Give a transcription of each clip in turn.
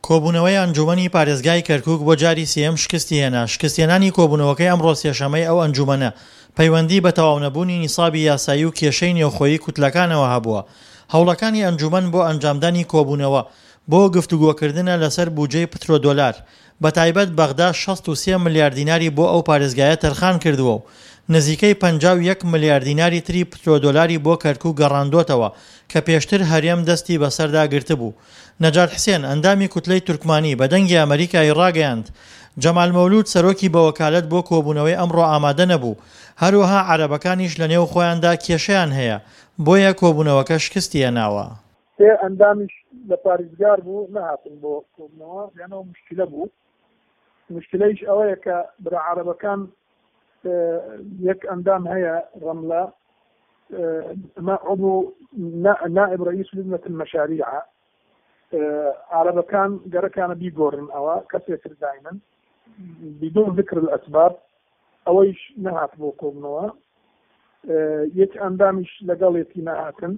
کۆبوونەوەی ئەنجوومەنی پارێزگای کەرکووک بۆ جاری سێیەم شکستی هێنا، شکستهێنانی کۆبوونەوەکەی ئەمڕۆ سێشەمەی ئەو ئەنجوومەنە، پەیوەندی بە تەواونەبوونی نیسابی یاسایی و کێشەی نێوخۆیی کوتلەکانەوە هەبووە. هەوڵەکانی ئەنجوومەن بۆ ئەنجامدانی کۆبوونەوە بۆ گفتوگۆکردنە لەسەر بوجەی پترۆدۆلار، بەتایبەت بەغدا 63 ملیار دیناری بۆ ئەو پارێزگایە تەرخان کردووە و نزیکەی 51 ملیار دیناری تری پترۆدۆلاری بۆ کەرکووک گەڕاندۆتەوە کە پێشتر هەرێم دەستی بەسەردا گرتبوو. نەجات حسێن، ئەندامی کوتلەی تورکمانی، بە دەنگی ئەمەریکای ڕاگەیاند، جەمال مەولود سەرۆکی بەوەکالەت بۆ کۆبوونەوەی ئەمڕۆ ئامادە نەبوو، هەروەها عەرەبەکانیش لەنێو خۆیاندا کێشەیان هەیە، بۆیە کۆبوونەوەکە شکستی هێناوە. سێ ئەندامیش لە پاریزگار بوو نەهاتن بۆ کۆبوونەوە، لەنەوە موشکیلە بوو، موشکیلەیش ئەوەیە کە برا عەرەبەکان یەک ئەندام هەیە ڕەملە ئەمە عضو نائب رئیس لجنة المشاريع عربەکان گەرەکانە بیگۆڕن ئەوە کەسێتر داینن بدون ذکر الاسباب ئەوەیش نەهات بۆ کۆبنەوە یەک ئەندامیش لەگەڵێتی نەهاتن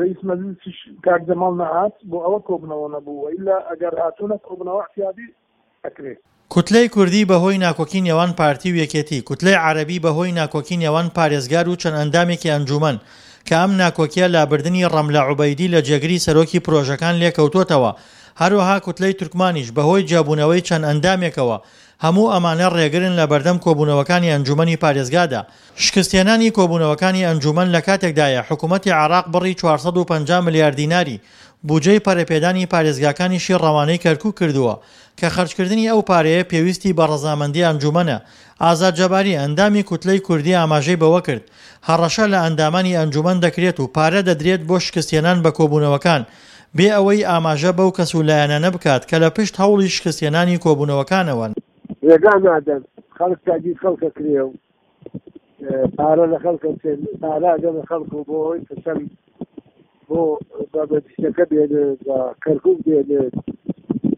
رئیس مەجلسیش کاک جەماڵ نەهات بۆ ئەوە کۆبنەوە نەبوو وئیلا ئەگەر هاتوونە کۆبنەوە اعتیادی ئەکرێ. کوتلەی کوردی بەهۆی ناکۆکی نێوان پارتی و یەکێتی، کوتلەی عەرەبی بەهۆی ناکۆکی نێوان پارێزگار و چەند ئەندامێکی ئەنجوومەن، کە ئەم ناکۆکیە لابردنی ڕەملە عوبەیدی لە جێگری سەرۆکی پرۆژەکان لێکەوتۆتەوە، هەروەها کوتلەی تورکمانیش بەهۆی جیابوونەوەی چەند ئەندامێکەوە، هەموو ئەمانە ڕێگرن لەبەردەم کۆبوونەوەکانی ئەنجوومەنی پارێزگادا. شکستهێنانی کۆبوونەوەکانی ئەنجوومەن لەکاتێکدایە حکوومەتی عێراق بڕی 450 ملیار دیناری بوجەی پەرەپێدانی پارێزگاکانیشی ڕەوانەی کەرکوک کردووە کە خەرجکردنی ئەو پارەیە پێویستی بە ڕەزامەندی ئەنجوومەنە. ئازاد جەباری، ئەندامی کوتلەی کوردی ئاماژەی بەوەکرد، هەڕەشە لە ئەندامانی ئەنجوومەن دەکرێت و پارە دەدرێت بۆ شکستهێنان بە کۆبوونەوەکان، بێ ئەوەی ئاماژە بەو کەس و لایەنانە بکات کە لە پشت هەوڵی شکستهێنانی کۆبوونەوەکانەوەن. ڕێگا نادەن خەڵک تاگیر خەڵک ئەکرێ و پارە لە خەڵک ئەچێن پارە ئەدەنە خەڵک و بۆ ئەوەی فشەل بۆ بە مەجلیسەکە بێنێ بە کەرکوک بێنێ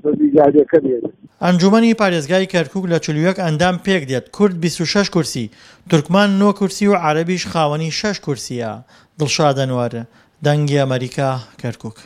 بە میدانەکە بێنێ. ئەنجوومەنی پارێزگای کەرکوک لە 41 ئەندام پێکدێت، کورد 26 کورسی، تورکمان نۆ کورسی و عەرەبیش خاوەنی شەش کورسییە. دڵشاد ئەنوەر، دەنگی ئەمەریکا، کەرکوک.